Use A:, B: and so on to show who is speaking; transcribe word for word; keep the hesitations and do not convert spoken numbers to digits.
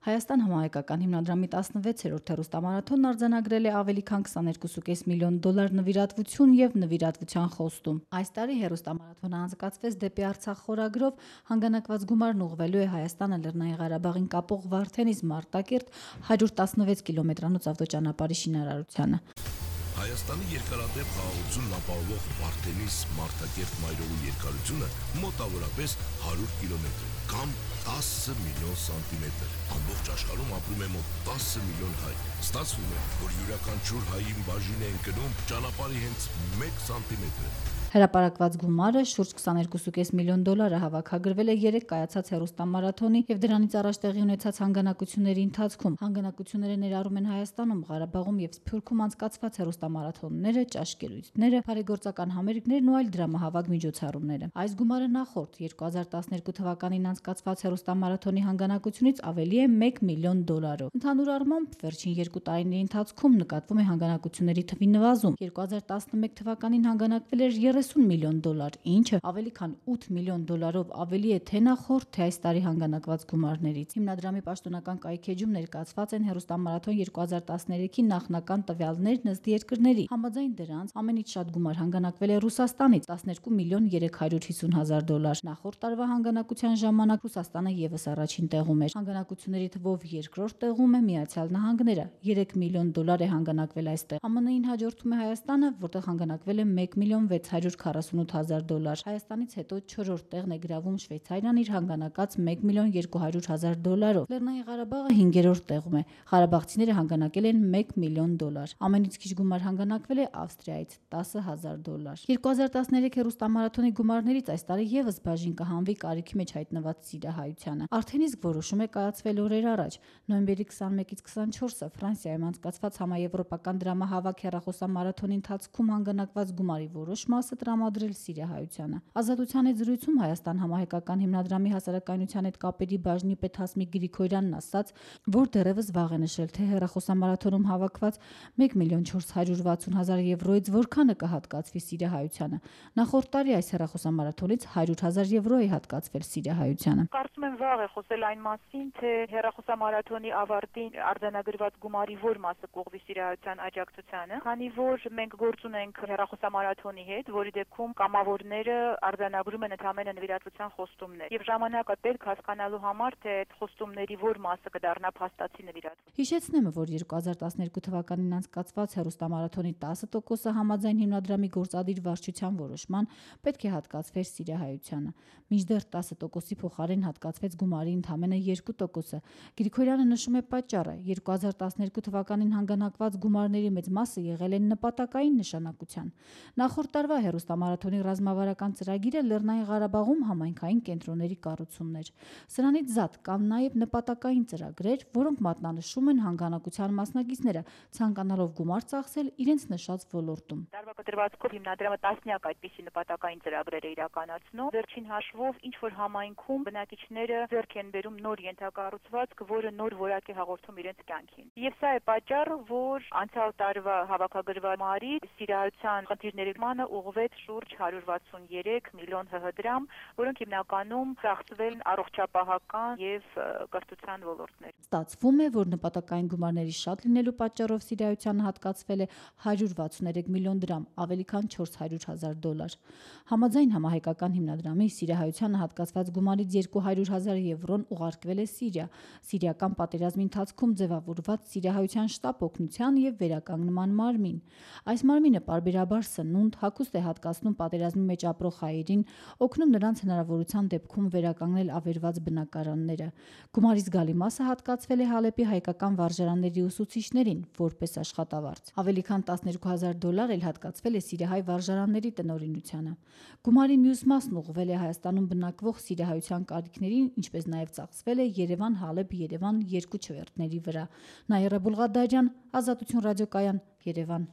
A: Հայաստան համահայկական հիմնադրամի տասնվեցերորդ հեռուստամարաթոնն արձանագրել է ավելի քան քսաներկու կես միլիոն դոլար նվիրատվություն եւ նվիրատվության խոստում։ Այս տարի հեռուստամարաթոնը անցկացվեց դեպի Արցախ խորագրով, հանգանակված գումարն ուղղվելու է Հայաստանը Լեռնային Ղարաբաղին կապող Վարդենից Մարտակերտ հարյուր տասնվեց կիլոմետրանոց ավտոճանապարհի շինարարությանը։
B: Հայաստանի երկարատև խաղաղությունն ապահովող Վարդենից Մարտակերտ մայրօրու երկարությունը մոտավորապես հարյուր կիլոմետր է կամ տասը միլիոն սանտիմետր։ Ամբողջ աշխարհում ապրում է մոտ տասը միլիոն հայ։ Ստացվում է, որ յուրաքանչյուր հային բաժին են գնում ճանապարհի հենց մեկ սանտիմետրը։
A: Հրապարակված գումարը շուրջ քսաներկու կես միլիոն դոլարը հավաքագրվել է երեք կայացած հեռուստամարաթոնի եւ դրանից առաջ տեղի ունեցած հանգանակությունների ընթացքում։ Հանգանակությունները ներառում են Հայաստանում, Ղարաբաղում եւ Սփյուռքում անցկացված հեռուստամարաթոնները, ճաշկերույթները, բարեգործական համերգներն ու այլ դրամահավաք միջոցառումները։ Այս գումարը նախորդ երկու հազար տասներկու թվականին անցկացված հեռուստամարաթոնի հանգանակությունից ավելի է մեկ միլիոն դոլարով։ Ընդհանուր առմամբ վերջին երկու տարիների ընթացքում նկատվում է հանգանակությունների թվի նվազում։ երկու հազար տասնմեկ թվականին հանգանակվել էր երեսուն միլիոն դոլար, ինչը ավելի քան ութ միլիոն դոլարով ավելի է թե նախորդ, թե այս տարի հանգանակված գումարներից։ Հիմնադրամի պաշտոնական կայքեջում ներկայացված են հեռուստամարաթոն երկու հազար տասներեքի նախնական տվյալներն ըստ երկրների։ Համաձայն դրանց ամենից շատ գումար հանգանակվել է Ռուսաստանից տասներկու միլիոն երեք հարյուր հիսուն հազար դոլար։ Նախորդ տարվա հանգանակության ժամանակ Ռուսաստանը եւս առաջին տեղում էր։ Հանգանակությունների թվով երկրորդ տեղում է Միացյալ Նահանգները, երեք միլիոն դոլար է հանգանակվել այստեղ։ Ամն Ին հաջորդում է Հայաստանը, որտեղ հանգանակվել է մեկ միլիոն վեց հարյուր քառասունութ հազար դոլար։ Հայաստանից հետո չորրորդ տեղն է գրավում Շվեյցարիան իր հանգանակած մեկ միլիոն երկու հարյուր հազար դոլարով։ Լեռնային Ղարաբաղը հինգերորդ տեղում է։ Ղարաբաղցիները հանգանակել են մեկ միլիոն դոլար։ Ամենից քիչ գումար հանգանակվել է Ավստրիայից տասը հազար դոլար։ երկու հազար տասներեք հեռուստամարաթոնի գումարներից այս տարի եւս բաժին կհանվի կարիքի մեջ հայտնված սիրիահայությանը։ Արդեն իսկ որոշում է կայացվել օրեր առաջ։ Նոյեմբերի քսանմեկից քսանչորսը Ֆրանսիայում անցկացված համաեվրոպական դրամահավաք հեռախոսամարաթոնի ընթացքում հանգանակված գումարի որոշ մասը տրամադրել սիրիահայությանը։ Ազատության հետ զրույցում Հայաստան համահայկական հիմնադրամի հասարակայնության հետ կապերի բաժնի պետ Հասմիկ Գրիգորյանն ասաց, որ դեռևս վաղ է նշել, թե հեռախոսամարաթոնում հավաքված մեկ միլիոն չորս հարյուր վաթսուն հազար եվրոից որքանը կհատկացվի սիրիահայությանը։ Նախորդ տարի այս հեռախոսամարաթոնից հարյուր հազար եվրո է հատկացվել սիրիահայությանը։
C: Կարծում եմ վաղ է խոսել այն մասին, թե հեռախոսամարաթոնի ավարտին արձանագրված գումարի որ մասը կուղղվի սիրիահայության աջակցությանը, քանի որ մենք գործ ունենք հեռախոսամարաթոնի հետ, որի դեպքում կամավորները արձանագրում են ընդհանրապես նվիրատվության խոստումներ։ Եվ ժամանակը պետք հասկանալու համար, թե այդ խոստումների որ մասը կդառնա փաստացի նվիրատվություն։
A: Հիշեցնեմ, որ երկու հազար տասներկու թվականին անցկացված հեռուստամարաթոնի տասը տոկոսը համաձայն հիմնադրամի գործադիր վարչության որոշման պետք է հատկացվեր սիրիահայությանը։ Մինչդեռ տասը տոկոսի փոխարեն հատկացվեց գումարի ընդամենը երկու տոկոսը։ Գրիգորյանը նշում է պատճառը։ երկու հազար տասներկու թվականին հանգանակված գումարների մեծ մասը եղել են նպատակային նշանակության։ Նախորդ տարվա հեռուստամարաթոնի ռազմավարական ծրագիրը Լեռնային Ղարաբաղում համայնքային կենտրոնների կառուցումն էր։ Սրանից զատ կան նաև նպատակային ծրագրեր, որոնք մատնանշում են հանգանակության մասնակիցները, ցանկանալով գումար ծախսել իրենց նշած ոլորտում։
C: Տարվա կտրվածքով հիմնադրամը տասնյակ այդպիսի նպատակային ծրագրեր է իրականացնում։ Վերջին հաշվով ինչ որ համայնքում բնակիչները ձեռք են բերում նոր ենթակառուցվածք, որը նոր որակ է հաղորդում իրենց կյանքին։ Եվ սա է պատճառը, որ անցյալ տարվա հավաքագրված գումարի սիրիահայության խնդիրների մանը ուղղվեց շուրջ հարյուր վաթսուներեք միլիոն հ հ դրամ, որոնք հիմնականում ծախսվել են առողջապահական եւ կրթության ոլորտներում։
A: Ստացվում է, որ նպատակային գումարների շատ լինելու պատճառով սիրիահայությանը հատկացվել է հարյուր վաթսուներեք միլիոն դրամ, ավելի քան չորս հարյուր հազար դոլար։ Համաձայն համահայկական հիմնադրամի սիրիահայությանը հատկացված գումարից երկու հարյուր հազար եվրոն ուղարկվել է Սիրիա, սիրիական պատերազմի ընթացքում ձևավորված սիրիահայության շտապ օգնության եւ վերականգնման մարմին։ Այս մարմինը պարբերաբար սնունդ, հագուստ է հատկացնում պատերազմի մեջ ապրող հայերին, օգնում նրանց հնարավորության դեպքում վերականգնել ավերված բնակարանները։ Գումարի զգալի մասը հատկացվել է Հալեպի հայկական վարժարանների ուսուցիչներին, որպես աշխատավարձ։ Ավելի քան տասներկու հազար դոլար էլ հատկացվել է սիրիահայ վարժարանների տնօրինությանը։ Գումարի մյուս մասն ուղղվել է Հայաստանում բնակվող սիրիահայության կարիքներին, ինչպես նաև ծախսվել է Երևան-Հալեբ-Երևան երկու չվերթների վրա։ Նաիրա Բուլղադարյան, Ազատություն ռադիոկայան, Երևան։